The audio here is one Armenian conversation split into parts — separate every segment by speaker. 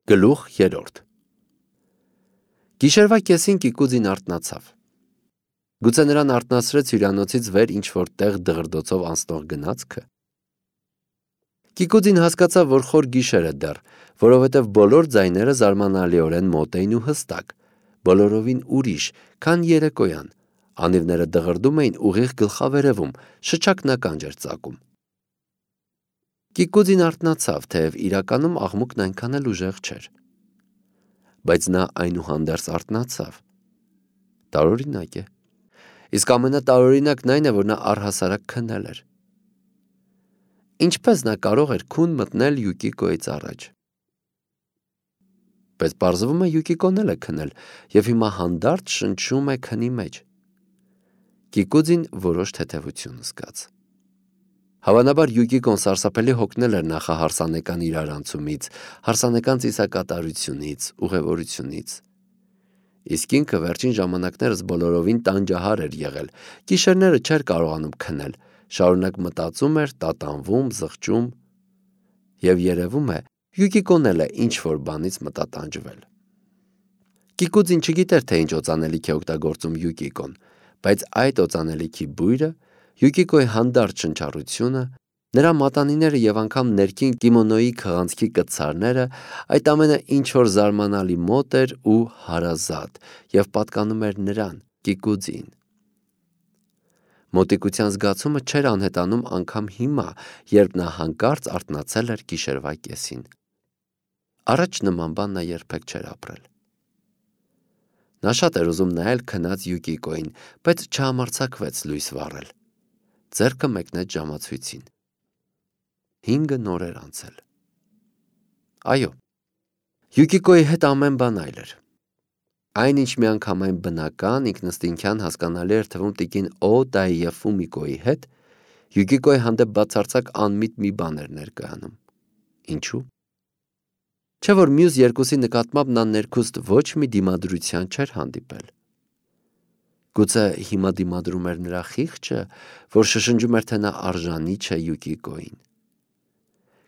Speaker 1: Գլուխ 3 Գիշերվա կեսին Կիկուձին արթնացավ։ Գուցե նրան արթնացրեց հյուրանոցից վեր ինչ-որ տեղ դղրդոցով անցնող գնացքը։ Կիկուձին հասկացավ, որ խոր գիշեր է դեռ, որովհետև բոլոր ձայները զարմանալիորեն մոտ էին ու հստակ, բոլորովին ուրիշ, քան երեկոյան, անիվները դղրդում էին ուղիղ գլխավերևում, շչակն ականջ էր ծակում։ Կիկուձին արթնացավ, թեև իրականում աղմուկն այնքան էլ ուժեղ չէր։ Բայց նա այնուհանդերձ արթնացավ։ Տարօրինակ է։ Իսկ ամենատարօրինակն այն է, որ նա առհասարակ քնել էր։ Ինչպես նա կարող էր քուն մտնել Յուկիկոյից առաջ։ Բայց պարզվում է Յուկիկոն էլ է քնել և հիմա հանդարտ շնչում է քնի մեջ։ Կիկուձին որոշ թեթևություն զգաց։ Հավանաբար Յուկիկոն սարսափելի հոգնել էր նախահարսանեկան իրարանցումից, հարսանեկան ծիսակատարությունից, ուղևորությունից։ Իսկ ինքը վերջին ժամանակներս բոլորովին տանջահար էր եղել, գիշերները չէր կարողանում քնել, շարունակ մտածում էր, տատանվում, զղջում, և երևում է, Յուկիկոն էլ է ինչ-որ բանից մտատանջվել։ Կիկուձին չգիտեր, թե ինչ օծանելիք է օգտագործում Յուկիկոն, բայց այդ օծանելիքի բույրը, Յուկիկոյի հանդարտ շնչառությունը, նրա մատանիները և անգամ ներքին կիմոնոյի քղանցքի կտցարները, այդ ամենը ինչ-որ զարմանալի մոտ էր ու հարազատ և պատկանում էր նրան, Կիկուձին։ Մոտիկության զգացումը չէր անհետանում անգամ հիմա, երբ նա հանկարծ արթնացել էր գիշերվա կեսին։ Առաջ նման բան նա երբեք չէր ապրել։ Նա շատ էր ուզում նայել քնած Յուկիկոյին, բայց չհամարձակվեց լույս վառել։ Ձեռքը մեկնեց ժամացույցին։ 5 օր էր անցել։ Այո, Յուկիկոյի հետ ամեն բան այլ էր։ Այն, ինչ միանգամայն բնական, ինքնըստինքյան հասկանալի էր թվում տիկին Օտայի և Ֆումիկոյի հետ, Յուկիկոյի հանդեպ բացարձակ անմիտ մի բան էր ներկայանում։ Ինչու՞։ Չէ՞ որ մյուս երկուսի նկատմամբ նա ներքուստ ոչ մի դիմադրության չէր հանդիպել։ Գուցե հիմա դիմադրում էր նրա խիղճը, որ շշնջում էր, թե նա արժանի չէ Յուկիկոյին։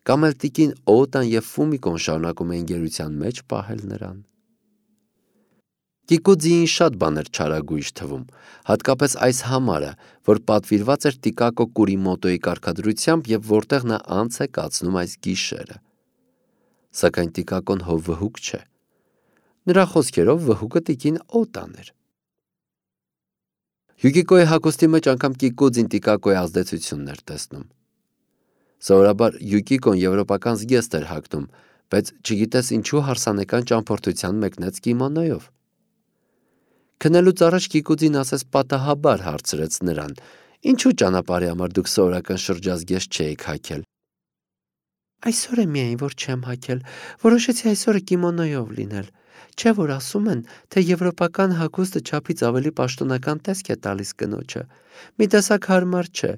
Speaker 1: Կամ էլ տիկին Օտան և Ֆումիկոն շարունակում էին գերության մեջ պահել նրան։ Կիկուձիին շատ բան էր չարագույժ թվում, հատկապես այս համարը, որ պատվիրված էր Տիկակո Կուրիմոտոյի կարգադրությամբ և որտեղ նա անց է կացնում այս գիշերը։ Սակայն Տիկակոն հո վհուկ չէ։ Նրա խոսքերով վհուկը տիկին Օտան էր։ Յուկիկոյի հագուստի մեջ անգամ Կիկուձին Տիկակոյի ազդեցությունն էր տեսնում։ Սովորաբար Յուկիկոն եվրոպական զգեստ էր հագնում, բայց չգիտես ինչու հարսանեկան ճամփորդության մեկնեց կիմոնոյով։ Քնելուց առաջ Կիկուձին ասես պատահաբար հարցրեց նրան. «Ինչու ճանապարհի համար դուք սովորական շրջազգեստ չէիք հագել»։ «Այսօր է միայն, որ չեմ հագել, որոշեցի այսօրը կիմոնոյով լինել, չէ՞ որ ասում են, թե եվրոպական հագուստը չափից ավելի պաշտոնական տեսք է տալիս կնոջը, մի տեսակ հարմար չէ,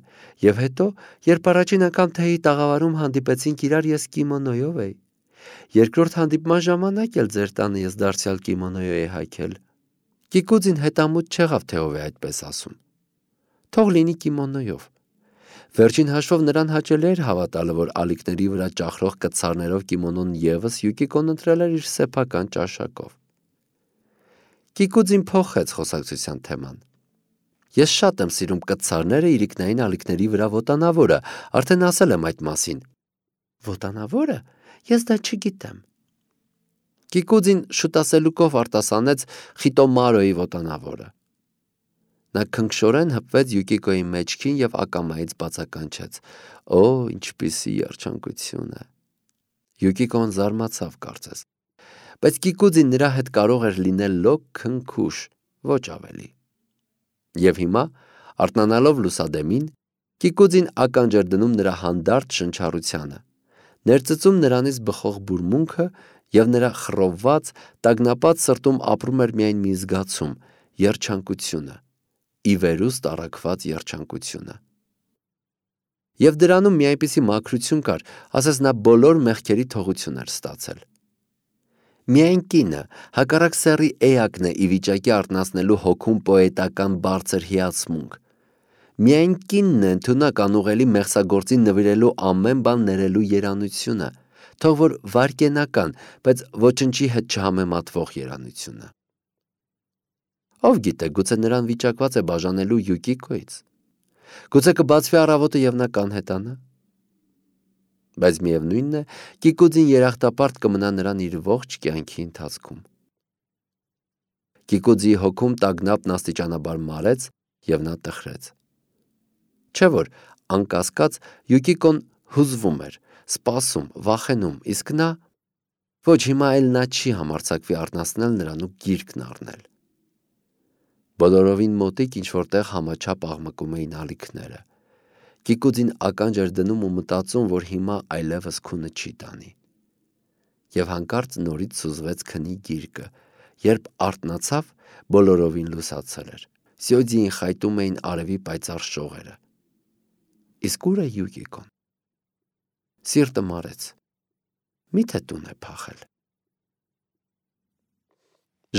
Speaker 1: և հետո, երբ առաջին անգամ թեյի տաղավարում հանդիպեցինք իրար, ես կիմոնոյով էի, երկրորդ հանդիպման ժամանակ էլ ձեր տանը ես դարձյալ կիմոնոյով էի հագել»։ Կիկուձին հետամուտ չեղավ, թե ով է այդպես ասում։ Թող լինի կիմոնոյով։ Վերջին հաշվով նրան հաճելի էր հավատալը, որ ալիքների վրա ճախրող կտցարներով կիմոնոն ևս Յուկիկոն ընտրել էր իր սեփական ճաշակով։ Կիկուձին փոխեց խոսակցության թեման։ «Ես շատ եմ սիրում կտցարները իրիկնային ալիքների վրա ոտանավորը, արդեն ասել եմ այդ մասին»։ Ոտանավո՞րը, ես դա չգիտեմ։ Կիկուձին շուտասելուկով արտասանեց Խիտոմարոյի ոտանավորը։ Նա քնքշորեն հպվեց Յուկիկոյի մեջքին և ակամայից բացականչեց. «Օ, ինչպիսի երջանկություն է»։ Յուկիկոն զարմացավ կարծես։ Բայց Կիկուձին նրա հետ կարող էր լինել լոկ քնքուշ, ոչ ավելի։ Եվ հիմա, արթնանալով լուսադեմին, Կիկուձին ականջ էր դնում նրա հանդարտ շնչառությանը, ներծծում նրանից բխող բուրմունքը, և նրա խռովված, տագնապած սրտում ապրում էր միայն մի զգացում՝ երջանկությունը, ի վերուստ առաքված երջանկությունը։ Եվ դրանում մի այնպիսի մաքրություն կար, ասես նա բոլոր մեղքերի թողություն էր ստացել։ Միայն կինը, հակառակ սեռի էակն է ի վիճակի արթնացնելու հոգում պոետական բարձր հիացմունք։ Միայն կինն է ընդունակ անուղելի մեղսագործին նվիրելու ամեն բան ներելու երանությունը, թող որ վարկենական, բայց ոչնչի հետ չհամեմատվող երանությունը։ Ով գիտե, գուցե նրան վիճակված է բաժանելու Յուկիկոից։ Գուցե կբացվի առավոտը և նա կանհետանա։ Բայց միևնույնն է, Կիկուձին երախտապարտ կմնա նրան իր ողջ կյանքի ընթացքում։ Կիկուձի հոգում տագնապն աստիճանաբար մարեց և նա տխրեց։ Չէ որ անկասկած Յուկիկոն հուզվում էր, սպասում, վախենում, իսկ նա ոչ հիմա էլ նա չի համարձակվի արթնացնել նրան ու գիրկն առնել։ Բոլորովին մոտիկ ինչ-որտեղ համաչափ աղմկում էին ալիքները։ Կիկուձին ականջ էր դնում ու մտածում, որ հիմա այլևս քունը չի տանի։ Եվ հանկարծ նորից սուզվեց քնի գիրկը, երբ արթնացավ, բոլորովին լուսացել էր։ Սյոձիին խայտում էին արևի պայծառ շողերը։ Իսկ ուր է Յուկիկոն։ Սիրտը մարեց։ Միթե տուն է փախել։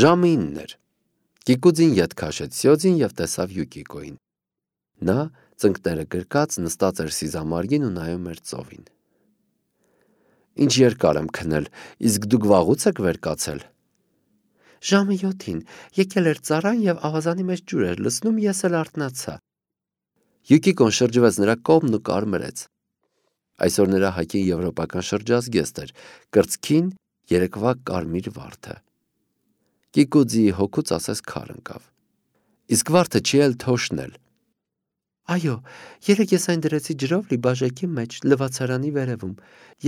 Speaker 1: Ժամը 9 էր։ Կիկուձին ետ քաշեց Սյոձին և տեսավ Յուկիկոին։ Նա, ծնկները գրկած, նստած էր սիզամարգին ու նայում էր ծովին։ Ինչ երկար եմ քնել, իսկ դուք վաղուց եք վեր կացել։ Ժամը 7-ին, եկել էր ծառան և ավազանի մեջ ջուր էր լցնում, ես էլ արթնացա։ Յուկիկոն շրջվեց նրա կողմն ու կարմրեց։ Այսօր նրա հագին եվրոպական շրջազգեստ էր, կրծքին երեկվա կարմիր վարդը։ Կիկուձիի հոգուց ասես քար ընկավ։ Իսկ վարդը չի էլ թոշնել։ Այո, երեկ ես այն դրեցի ջրով լիբաժեկի մեջ, լվացարանի վերևում,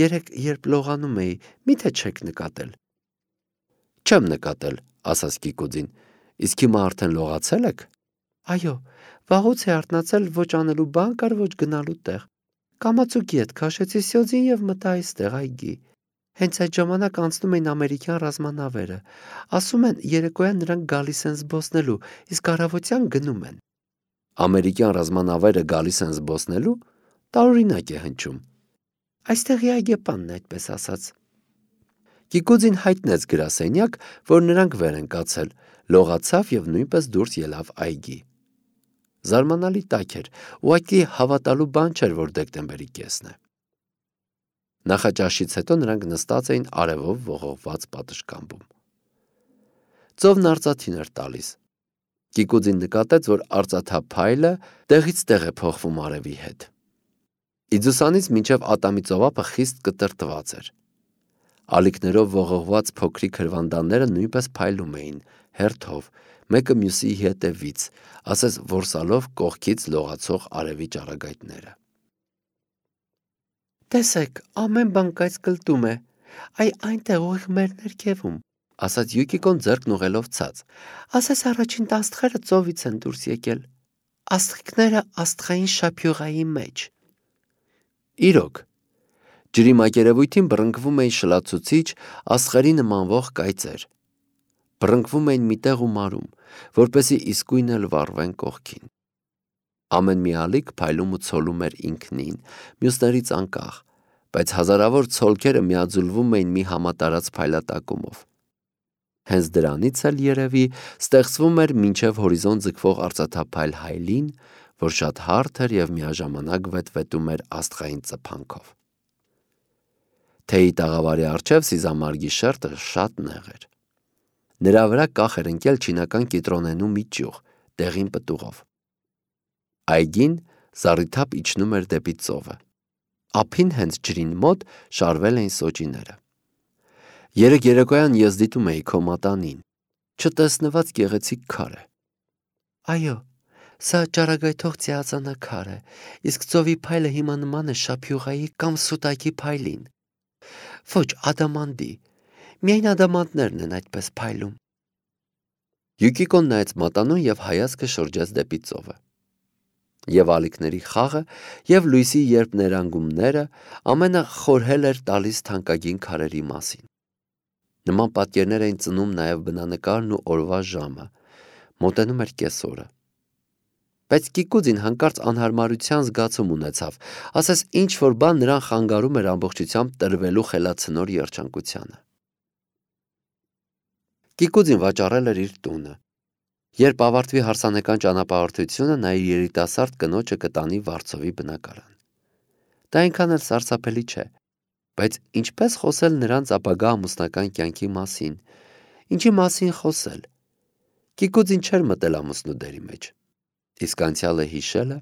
Speaker 1: երեկ երբ լողանում էի, միթե չեք նկատել։ Չեմ նկատել, ասաց Կիկուձին, իսկ հիմա արդեն լողացել եք։ Այո, վաղուց է արթնացել, ոչ անելու բան կար, ոչ գնալու տեղ։ Կամացուկի հետ քաշեցի Սյոձին և մտա այստեղ այգի։ Հենց այդ ժամանակ անցնում էին ամերիկյան ռազմանավերը։ Ասում են, երեկոյան նրանք գալիս են զբոսնելու, իսկ առավոտյան գնում են։ Ամերիկյան ռազմանավերը գալիս են զբոսնելու, տարօրինակ է հնչում։ Այստեղի այգեպանն է այդպես ասաց։ Կիկուձին հայտնեց գրասենյակ, որ նրանք վեր են կացել, լողացավ և նույնպես դուրս ելավ այգի։ Զարմանալի տաք էր, ուղղակի հավատալու բան չէր, որ դեկտեմբերի կեսն է։ Նախաճաշից հետո նրանք նստած էին արևով ողողված պատշգամբում։ Ծովն արծաթին էր տալիս։ Կիկուձին նկատեց, որ արծաթափ փայլը տեղից տեղ է փոխվում արևի հետ։ Իձուսանից մինչև ատամի ծովափը խիստ կտրտված էր։ Ալիքներով ողողված փոքրիկ հրվանդանները նույնպես փայլում էին, հերթով, մեկը մյուսի հետևից, ասես որսալով կողքից լողացող արևի ճառագայթները։ Տեսեք, ամեն բան կայծկլտում է, այնտեղ ուղիղ մեր ներքևում, ասաց Յուկիկոն ձեռքն ուղղելով ցած։ Ասես առաջին տաստղերը ծովից են դուրս եկել։ Աստղիկները աստղային շափյուղայի մեջ։ Իրոք, ջրի մակերևույթին բռնկվում էին շլացուցիչ, աստղերի նմանվող կայծեր։ Բռնկվում էին միտեղ ու մարում, որպեսզի իսկույն էլ վառվեն կողքին։ Ամեն մի ալիք փայլում ու ցոլում էր ինքնին, մյուսներից անկախ, բայց հազարավոր ցոլքերը միաձուլվում էին մի համատարած փայլատակումով։ Հենց դրանից էլ երևի ստեղծվում էր մինչև հորիզոն ձգվող արծաթափայլ հայլին, որ շատ հարթ էր և միաժամանակ վետվետում էր աստղային ծփանքով։ Թեյի տաղավարի առջև սիզամարգի շերտը շատ նեղ էր։ Նրա վրա կախ էր ընկել չինական կիտրոնենու մի ճյուղ, դեղին պտուղով։ Այգին զառիթափ իջնում էր դեպի ծովը։ Ափին հենց ջրին մոտ շարվել էին սոճիները։ Երեկ երեկոյան ես դիտում էի քո մատանին, չտեսնված գեղեցիկ քար է։ Այո, սա ճառագայթող ծիածանաքար է, իսկ ծովի փայլը հիմա նման է շափյուղայի կամ սուտակի փայլին։ Ոչ ադամանդի, միայն ադամանդներն են այդպես փայլում։ Յուկիկոն նայեց մատանուն և հայացքը շրջեց դեպի ծովը։ Եվ ալիքների խաղը, և լույսի երբ ներանգումները ամենը խորհել էր տալիս թանկագին քարերի մասին։ Նման պատկերներ էին ծնում նաև բնանկարն ու օրվա ժամը, մոտենում էր կեսօրը։ Բայց Կիկուձին հանկարծ անհարմարության զգացում ունեցավ, ասես ինչ-որ բան նրան խանգարում էր ամբողջությամբ տրվելու խելացնոր երջանկությանը։ Կիկուձին վաճառել էր իր տունը։ Երբ ավարտվի հարսանեկան ճանապարհորդությունը, նա իր երիտասարդ կնոջը կտանի Վարշավի բնակարան։ Դա այնքան էլ սարսափելի չէ։ Բայց ինչպես խոսել նրանց ապագա ամուսնական կյանքի մասին, ինչի մասին խոսել։ Կիկուձին չէր մտել ամուսնու դերի մեջ։ Իսկ անցյալը հիշելը։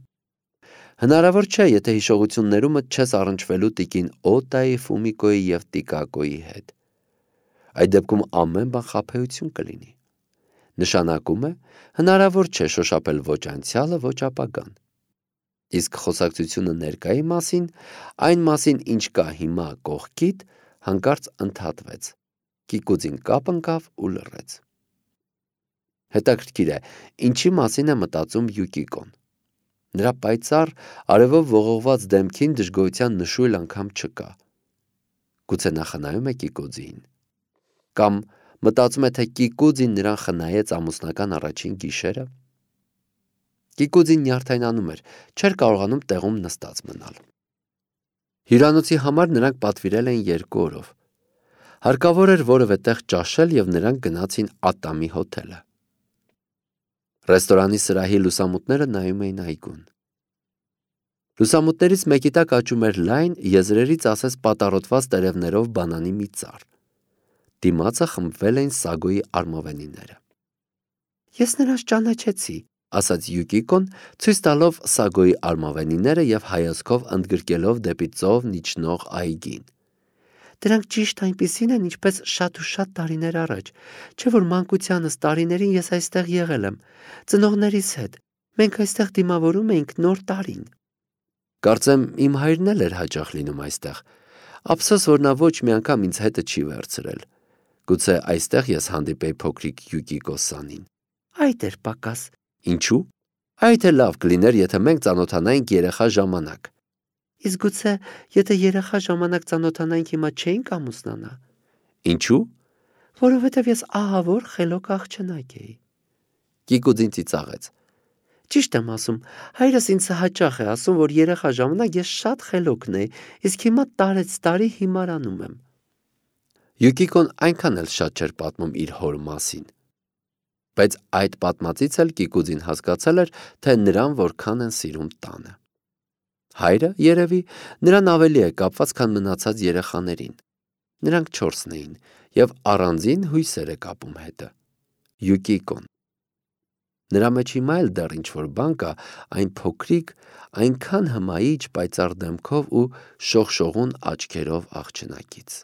Speaker 1: Հնարավոր չէ, եթե հիշողություններումդ չես առնչվելու տիկին Օտայի, Ֆումիկոյի և Տիկակոյի հետ։ Այդ դեպքում ամեն բան խաբեություն կլինի։ Նշանակում է, հնարավոր չէ շոշափել ոչ անցյալը, ոչ ապագան։ Իսկ խոսակցությունը ներկայի մասին, այն մասին, ինչ կա հիմա կողքիդ, հանկարծ ընդհատվեց։ Կիկուձին կապ ընկավ ու լռեց։ Հետաքրքիր է, ինչի մասին է մտածում Յուկիկոն։ Նրա պայծառ, արևով ողողված դեմքին դժգոհության նշույլ անգամ չկա։ Գուցե նա խնայում է Կիկուձիին։ Կամ մտածում է, թե Կիկուձին նրան խնայեց ամուսնական առաջին գիշերը։ Կիկուձին նյարդայնանում էր, չէր կարողանում տեղում նստած մնալ։ Հյուրանոցի համար նրանք պատվիրել էին 2 օրով։ Հարկավոր էր որևէ տեղ ճաշել և նրանք գնացին Ատամի հոթելը։ Ռեստորանի սրահի լուսամուտները նայում էին այգուն։ Լուսամուտներից մեկի տակ աճում էր լայն, եզրերից ասես պատառոտված տերևներով բանանի մի ծառ։ Դիմացը խմբվել էին Սագոյի արմավենիները։ Ես նրանց ճանաչեցի, ասաց Յուկիկոն, ցույց տալով Սագոյի արմավենիները և հայացքով ընդգրկելով դեպի ծովն իջնող այգին։ Դրանք ճիշտ այնպիսին են, ինչպես շատ ու շատ տարիներ առաջ, չէ՞ որ մանկությանս տարիներին ես այստեղ եղել եմ, ծնողներիս հետ։ Մենք այստեղ դիմավորում էինք Նոր տարին։ Կարծեմ իմ հայրն էլ էր հաճախ լինում այստեղ։ Ափսոս, որ նա ոչ մի անգամ ինձ հետը չի վերցրել։ Գուցե այստեղ ես հանդիպեի փոքրիկ Յուկիկո Սանին։ Այդ էր պակաս։ Ինչու՞։ Այդ էլ լավ կլիներ, եթե մենք ծանոթանայինք երեխա ժամանակ։ Իսկ գուցե, եթե երեխա ժամանակ ծանոթանայինք, հիմա չէինք ամուսնանա։ Ինչու՞։ Որովհետև ես ահավոր խելոք աղջնակ էի։ Կիկուձին ծիծաղեց։ Ճիշտ եմ ասում, հայրս ինձ հաճախ է ասում, որ երեխա ժամանակ ես շատ խելոքն էի, իսկ հիմա տարեց տարի հիմարանում եմ։ Յուկիկոն այնքան էլ շատ չէր պատմում իր հոր մասին։ Բայց այդ պատմածից էլ Կիկուձին հասկացել էր, թե նրան որքան են սիրում տանը։ Հայրը, երևի, նրան ավելի է կապված, քան մնացած երեխաներին։ Նրանք 4-ն էին, և առանձին հույսեր է կապում հետը։ Յուկիկոն։ Նրա մեջ հիմա էլ դեռ ինչ-որ բան կա, այն փոքրիկ, այնքան հմայիչ պայծառ դեմքով ու շողշողուն աչքերով աղջնակից։